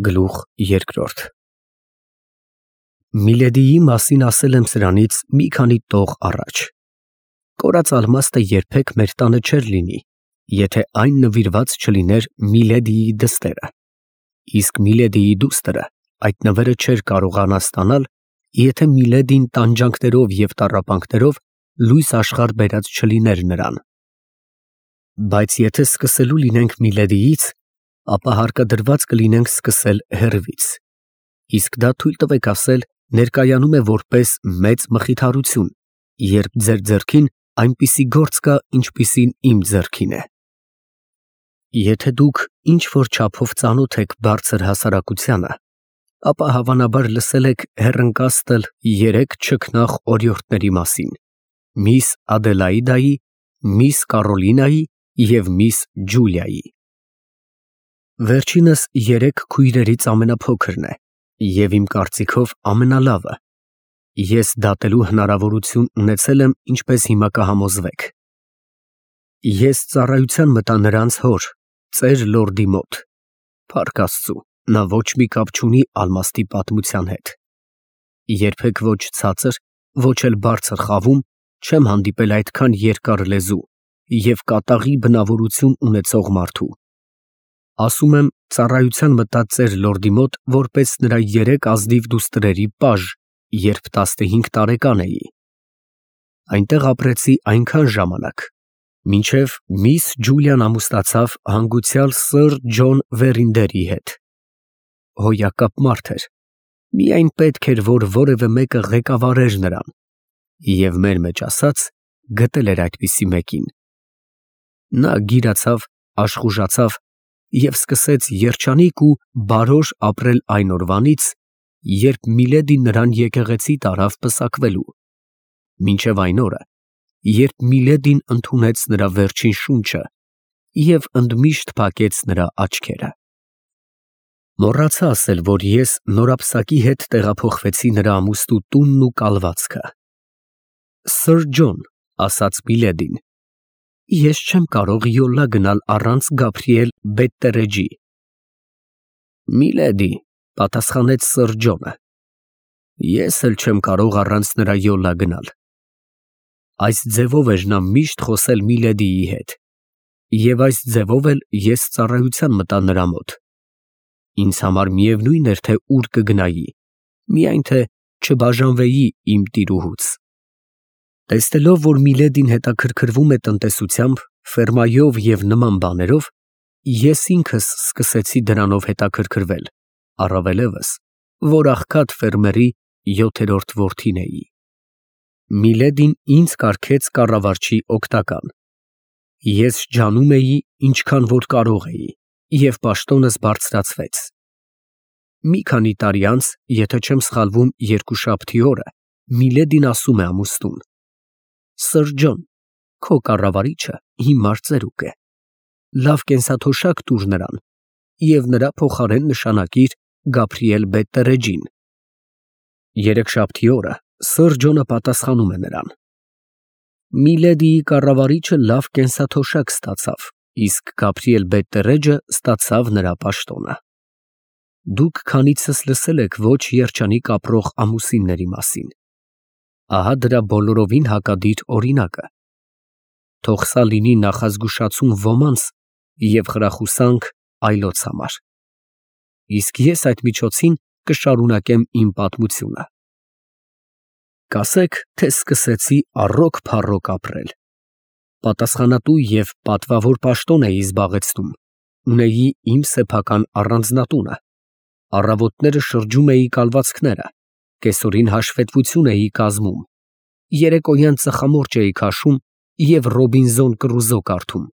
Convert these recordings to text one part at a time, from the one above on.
Գլուխ երկրորդ Միլեդիի մասին ասել եմ սրանից մի քանի տող առաջ։ Կորած ալմաստը երբեք մեր տանը չէր լինի, եթե այն նվիրված չլիներ Միլեդիի դստերը, իսկ Միլեդիի դուստրը այդ նվերը չէր կարողանա ստանալ, եթե Միլեդին տանջանքներով և տառապանքներով լույս աշխարհ բերած չլիներ նրան։ Բայց եթե սկսելու լինենք Միլեդիից, ապա հարկադրված կլինենք սկսել հեռվից, իսկ դա թույլ տվեք ասել ներկայանում է որպես մեծ մխիթարություն, երբ ձեր ձեռքին այնպիսի գործ կա, ինչպիսին իմ ձեռքին է։ Եթե դուք ինչ-որ չափով ծանոթ եք բարձր հասարակությանը, ապա հավանաբար լսել եք հեռընկաստել 3 չքնաղ օրիորդների մասին՝ միս Ադելաիդայի, միս Կարոլինայի և միս Ջուլիայի։ Վերջինս 3 քույրերից ամենափոքրն է և իմ կարծիքով ամենալավը։ Ես դատելու հնարավորություն ունեցել եմ, ինչպես հիմա կհամոզվեք։ Ես ծառայության մտա նրանց հոր, ծեր լորդի մոտ։ Փառք Աստծու, նա ոչ մի կապ չունի ալմաստի պատմության հետ։ Երբեք ոչ ցածր, ոչ էլ բարձր խավում չեմ հանդիպել այդքան երկար լեզու և կատաղի բնավորություն ունեցող մարդու։ Ասում եմ, ծառայության մտա ծեր լորդի մոտ որպես նրա 3 ազնիվ դուստրերի պաժ, երբ 15 տարեկան էի։ Այնտեղ ապրեցի այնքան ժամանակ, մինչև միս Ջուլիան ամուսնացավ հանգուցյալ սըր Ջոն Վերինդերի հետ։ Հոյակապ մարդ էր, միայն պետք էր, որ որևէ մեկը ղեկավարեր նրան, և մեր մեջ ասած, գտել էր այդպիսի մեկին։ Նա գիրացավ, աշխուժացավ և սկսեց երջանիկ ու բարոր ապրել այն օրվանից, երբ Միլեդին նրան եկեղեցի տարավ պսակվելու, մինչև այն օրը, երբ Միլեդին ընդունեց նրա վերջին շունչը և ընդմիշտ փակեց նրա աչքերը։ Մոռացա ասել, որ ես նորապսակի հետ տեղափոխվեցի նրա ամուսնու տունն ու կալվածքը։ Սըր Ջոն, ասաց Միլեդին, ես չեմ կարող յոլա գնալ առանց Գաբրիել Բետտերեջի։ Միլեդի, պատասխանեց սըր Ջոնը, ես էլ չեմ կարող առանց նրա յոլա գնալ։ Այս ձևով էր նա միշտ խոսել Միլեդիի հետ, և այս ձևով էլ ես ծառայության մտա նրա մոտ։ Ինձ համար միևնույն էր, թե ուր կգնայի, միայն թե չբաժանվեի իմ տիրուհուց։ Տեսնելով, որ Միլեդին հետաքրքրվում է տնտեսությամբ, ֆերմայով և նման բաներով, ես ինքս սկսեցի դրանով հետաքրքրվել, առավելևս, որ աղքատ ֆերմերի 7-րդ որդին էի։ Միլեդին ինձ կարգեց կառավարչի օգնական։ Ես ջանում էի, ինչքան որ կարող էի, և պաշտոնս բարձրացվեց։ Մի քանի տարի անց, եթե չեմ սխալվում, երկուշաբթի օրը, Միլեդին ասում է ամուսնուն. Սըր Ջոն, քո կառավարիչը հիմար ծերուկ է, լավ կենսաթոշակ տուր նրան և նրա փոխարեն նշանակիր Գաբրիել Բետտերեջին։ Երեքշաբթի օրը սըր Ջոնը պատասխանում է նրան. Միլեդիի կառավարիչը լավ կենսաթոշակ ստացավ, իսկ Գաբրիել Բետտերեջը ստացավ նրա պաշտոնը։ Դուք քանիցս լսել եք ոչ երջանիկ ապրող ամուսինների մասին։ Ահա դրա բոլորովին հակադիր օրինակը։ Թող սա լինի նախազգուշացում ոմանց և խրախուսանք այլոց համար։ Իսկ ես այդ միջոցին կշարունակեմ իմ պատմությունը։ Կասեք, թե սկսեցի առոք-փառոք ապրել։ Պատասխանատու և պատվավոր պաշտոն էի զբաղեցնում, ունեի իմ սեփական առանձնատունը, առավոտները շրջում էի կալվածքները, կեսօրին հաշվետվություն էի կազմում, երեկոյան ծխամորճ էի քաշում և Ռոբինզոն Կրուզո կարդում։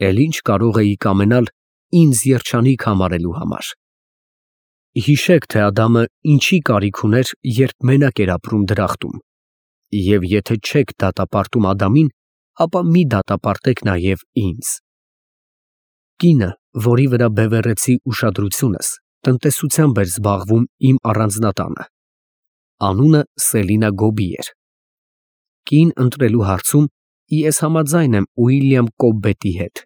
Էլ ինչ կարող էի կամենալ ինձ երջանիկ համարելու համար։ Հիշեք, թե Ադամը ինչի կարիք ուներ, երբ մենակ էր ապրում դրախտում, և եթե չեք դատապարտում Ադամին, ապա մի դատապարտեք նաև ինձ։ Կինը, որի վրա բևեռեցի ուշադրությունս, տնտեսությամբ էր զբաղվում իմ առանձնատանը։ Անունը Սելինա Գոբի էր։ Կին ընտրելու հարցում ես համաձայն եմ Ուիլյամ Կոբբետի հետ։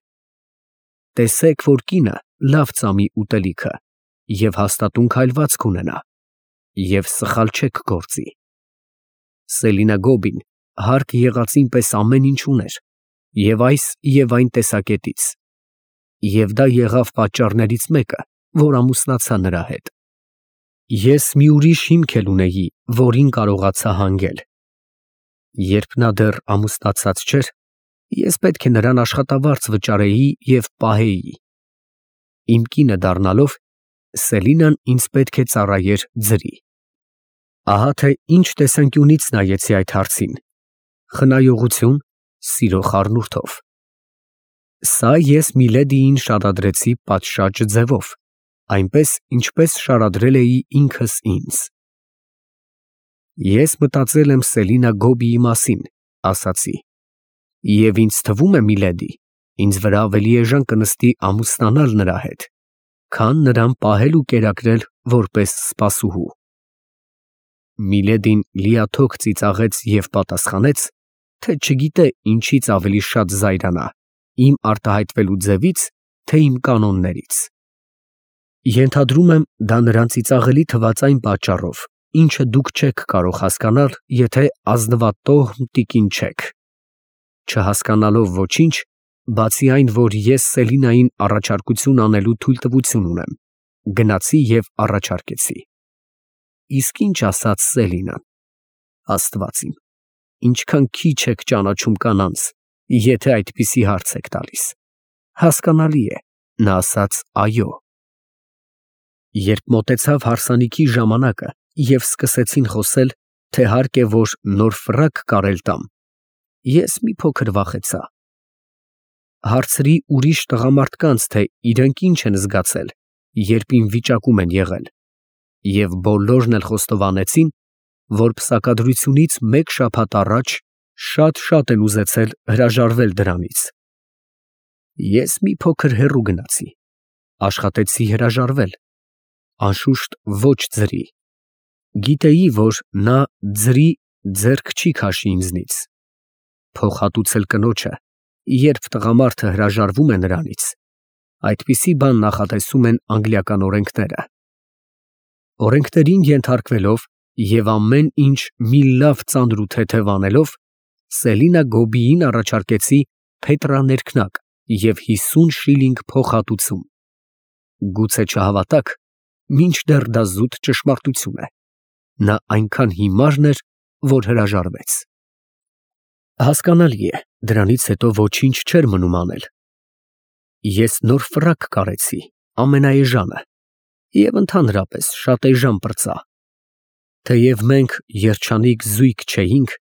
Տեսեք, որ կինը լավ ծամի ուտելիքը, և հաստատուն քայլվածք ունենա, և սխալ չեք գործի։ Սելինա Գոբին հարկ եղածին պես ամեն ինչ ուներ, և այս և այն տեսակետից, և դա եղավ պատճառներից մեկը, որ ամուսնացա նրա հետ։ Ես մի ուրիշ հիմք էլ ունեի, որին կարողացա հանգել։ Երբ նա դեռ ամուսնացած չէր, ես պետք է նրան աշխատավարձ վճարեի և պահեի։ Իմ կինը դառնալով, Սելինան ինձ պետք է ծառայեր ձրի։ Ահա թե ինչ տեսանկյունից նայեցի այդ հարցին. խնայողություն, սիրո խառնուրդով։ Սա ես Միլեդիին շարադրեցի պատշաճ ձևով, այնպես, ինչպես շարադրել էի ինքս ինձ։ Ես մտածել եմ Սելինա Գոբիի մասին, ասացի, և ինձ թվում է, Միլեդի, ինձ վրա ավելի էժան կնստի ամուսնանալ նրա հետ, քան նրան պահել ու կերակրել որպես սպասուհու։ Միլեդին լիաթոք ծիծաղեց և պատասխանեց, թե չգիտե ինչից ավելի շատ զայրանա, իմ արտահայտվելու ձևից, թե իմ կանոններից։ Ենթադրում եմ, դա նրան ծիծաղելի թվաց այն պատճառով, ինչը դուք չեք կարող հասկանալ, եթե ազնվատոհմ տիկին չեք։ Չհասկանալով ոչինչ, բացի այն, որ ես Սելինային առաջարկություն անելու թույլտվություն ունեմ, գնացի և առաջարկեցի։ Իսկ ինչ ասաց Սելինան։ Աստված իմ, ինչքան քիչ եք ճանաչում կանանց, եթե այդպիսի հարց եք տալիս։ Հասկանալի է, նա ասաց այո։ Երբ մոտեցավ հարսանիքի ժամանակը և սկսեցին խոսել, թե հարկ է որ նոր ֆրակ կարել տամ, ես մի փոքր վախեցա։ Հարցրի ուրիշ տղամարդկանց, թե իրենք ինչ են զգացել, երբ իմ վիճակում են եղել, և բոլորն էլ խոստովանեցին, որ պսակադրությունից մեկ շաբաթ առաջ շատ են ուզեցել հրաժարվել դրանից։ Ես մի փոքր հեռու գնացի, աշխատեցի հրաժարվել, անշուշտ ոչ ձրի։ Գիտեի, որ նա ձրի ձեռք չի քաշի ինձնից։ Փոխհատուցել կնոջը, երբ տղամարդը հրաժարվում է նրանից, այդպիսի բան նախատեսում են անգլիական օրենքները։ Օրենքներին ենթարկվելով և ամեն ինչ մի լավ ծանր ու թեթև անելով, Սելինա Գոբիին առաջարկեցի փետրաներքնակ և 50 շիլինգ փոխհատուցում։ Գուցե չհավատաք, մինչդեռ դա զուտ ճշմարտություն է։ Նա այնքան հիմարն էր, որ հրաժարվեց։ Հասկանալի է, դրանից հետո ոչինչ չէր մնում անել։ Ես նոր ֆրակ կարեցի, ամենաէժանը, և ընդհանրապես շատ էժան պրծա։ Թեև մենք երջանիկ զույգ չէինք,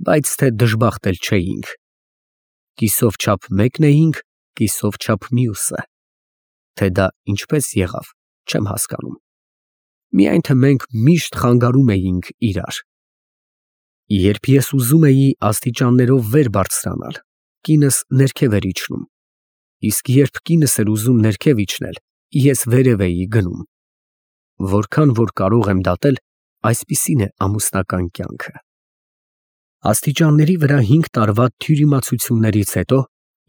բայց թե դժբախտ էլ չէինք։ Կիսով չափ մեկն էինք, կիսով չափ մյուսը։ Թե դա ինչպես եղավ, չեմ հասկանում։ Միայն թե մենք միշտ խանգարում էինք իրար։ Երբ ես ուզում էի աստիճաններով վեր բարձրանալ, կինս ներքև էր իջնում, իսկ երբ կինս էր ուզում ներքև իջնել, ես վերև էի գնում։ Որքան որ կարող եմ դատել, այսպիսին է ամուսնական կյանքը։ Աստիճանների վրա 5 տարվա թյուրիմացություններից հետո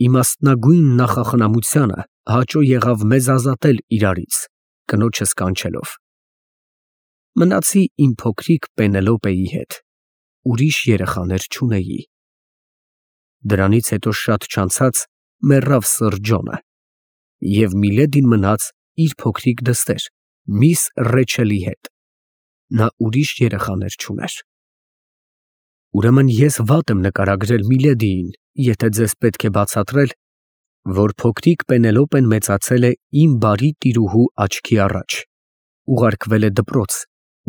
իմաստնագույն նախախնամությանը հաճո եղավ մեզ ազատել իրարից, կնոջս կանչելով։ Մնացի իմ փոքրիկ Պենելոպեի հետ, ուրիշ երեխաներ չունեի։ Դրանից հետո շատ չանցած մեռավ սըր Ջոնը, և Միլեդին մնաց իր փոքրիկ դստեր՝ միս Ռեչելի հետ, նա ուրիշ երեխաներ չուներ։ Ուրեմն ես վատ եմ նկարագրել Միլեդիին, եթե ձեզ պետք է բացատրել, որ փոքրիկ Պենելոպեն մեծացել է իմ բարի տիրուհու աչքի առաջ, ուղարկվել է դպրոց,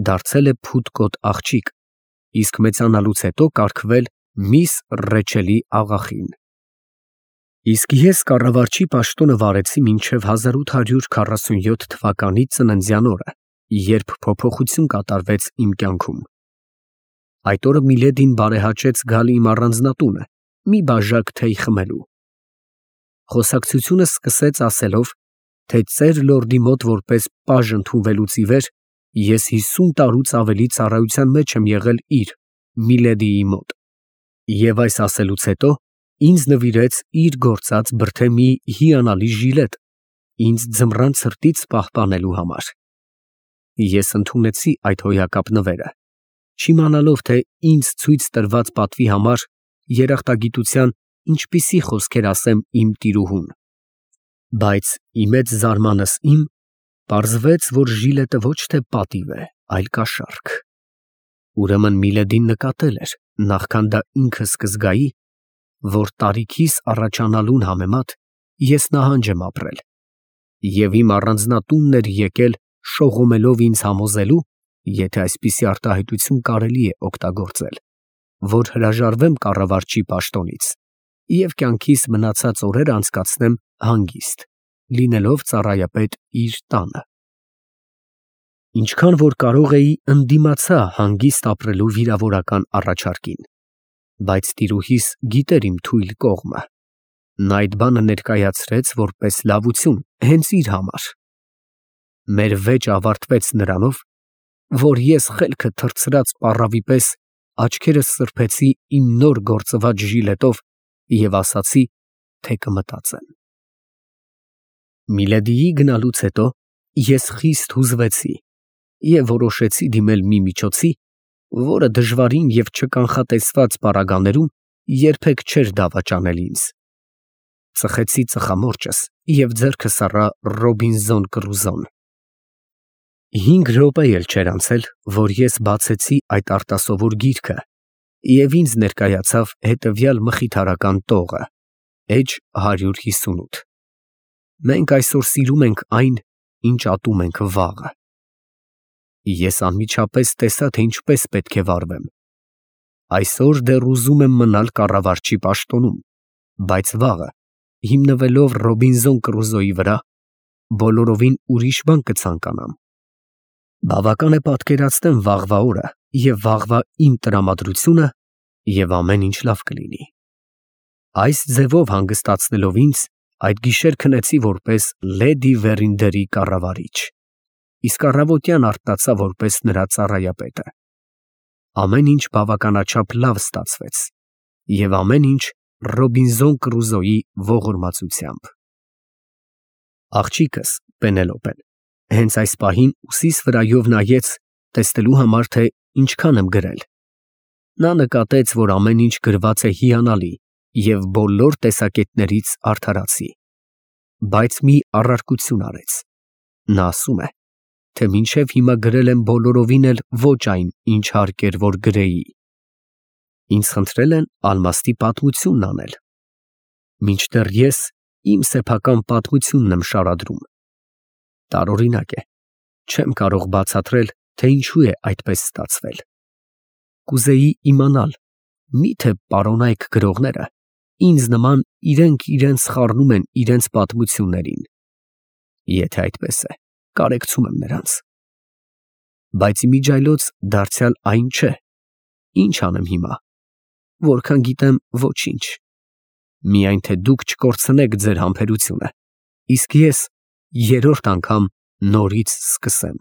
դարձել է փութկոտ աղջիկ, իսկ մեծանալուց հետո կարգվել միս Ռեչելի աղախին։ Իսկ ես կառավարչի պաշտոնը վարեցի մինչև 1847 թվականի ծննդյան օրը, երբ փոփոխություն կատարվեց իմ կյանքում։ Այդ օրը Միլեդին բարեհաճեց գալ իմ առանձնատունը, մի բաժակ թեյ խմելու։ Խոսակցությունը սկսեց ասելով, թե ծեր լորդի մոտ որպես պաժ ընդունվելուց ի վեր ես 50 տարուց ավելի ծառայության մեջ եմ եղել իր՝ Միլեդիի մոտ, և այս ասելուց հետո ինձ նվիրեց իր գործած բրդե մի հիանալի ժիլետ ինձ ձմռան ցրտից պահպանելու համար։ Ես ընդունեցի այդ հոյակապ նվերը, չիմանալով, թե ինձ ցույց տրված պատվի համար երախտագիտության ինչպիսի խոսքեր ասեմ իմ տիրուհուն։ Բայց ի մեծ զարմանս պարզվեց, որ Ժիլետը ոչ թե պատիվ է, այլ կաշառք։ Ուրեմն Միլեդին նկատել էր, նախքան դա ինքը սկզգայի, որ տարիքիս առաջանալուն համեմատ ես նահանջ եմ ապրել, և իմ առանձնատունն էր եկել շողոմելով ինձ համոզելու, եթե այսպիսի արտահայտություն կարելի է օգտագործել, որ հրաժարվեմ կառավարչի պաշտոնից և կյանքիս մնացած օրերը անցկացնեմ հանգիստ, լինելով ծառայապետ իր տանը։ Ինչքան որ կարող էի, ընդդիմացա հանգիստ ապրելու վիրավորական առաջարկին, բայց տիրուհիս գիտեր իմ թույլ կողմը։ Նա այդ բանը ներկայացրեց որպես լավություն հենց իր համար։ Մեր վեճը ավարտվեց նրանով, որ ես խելքը թռցրած պառավի պես աչքերս սրբեցի իմ նոր գործված ժիլետով և ասացի, թե կմտածեմ։ Միլեդիի գնալուց հետո ես խիստ հուզվեցի և որոշեցի դիմել մի միջոցի, որը դժվարին և չկանխատեսված պարագաներում երբեք չէր դավաճանել ինձ։ Ծխեցի ծխամորճս և ձեռքս առա Ռոբինզոն Կրուզոն։ 5 րոպե էլ չէր անցել, որ ես բացեցի այդ արտասովոր գիրքը և ինձ ներկայացավ հետևյալ մխիթարական տողը. էջ 158։ Մենք այսօր սիրում ենք այն, ինչ ատում ենք վաղը։ Ես անմիջապես տեսա, թե ինչպես պետք է վարվեմ։ Այսօր դեռ ուզում եմ մնալ կառավարչի պաշտոնում, բայց վաղը, հիմնվելով Ռոբինզոն Կրուզոյի վրա, բոլորովին ուրիշ բան կցանկանամ։ Բավական է պատկերացնեմ վաղվա օրը և վաղվա իմ տրամադրությունը, և ամեն ինչ լավ կլինի։ Այս ձևով հանգստացնելով ինձ, այդ գիշեր քնեցի որպես լեդի Վերինդերի կառավարիչ, իսկ առավոտյան արթնացա որպես նրա ծառայապետը։ Ամեն ինչ բավականաչափ լավ ստացվեց, և ամեն ինչ Ռոբինզոն Կրուզոյի ողորմածությամբ։ Աղջիկս Պենելոպեն հենց այս պահին ուսիս վրայով նայեց, տեսնելու համար, թե ինչքան եմ գրել։ Նա նկատեց, որ ամեն ինչ գրված է հիանալի և բոլոր տեսակետներից արդարացի, բայց մի առարկություն արեց։ Նա ասում է, թե մինչև հիմա գրել եմ բոլորովին էլ ոչ այն, ինչ հարկ էր, որ գրեի։ Ինձ խնդրել են ալմաստի պատմությունն անել, մինչդեռ ես իմ սեփական պատմությունն եմ շարադրում։ Տարօրինակ է, չեմ կարող բացատրել, թե ինչու է այդպես ստացվել։ Կուզեի իմանալ, միթե պարոնայք գրողները ինձ նման իրենք իրենց խառնում են իրենց պատմություններին։ Եթե այդպես է, կարեկցում եմ նրանց։ Բայց իմիջիայլոց դարձյալ այն չէ։ Ինչ անեմ հիմա։ Որքան գիտեմ, ոչինչ։ Միայն թե դուք չկորցնեք ձեր համբերությունը, իսկ ես երրորդ անգամ նորից սկսեմ։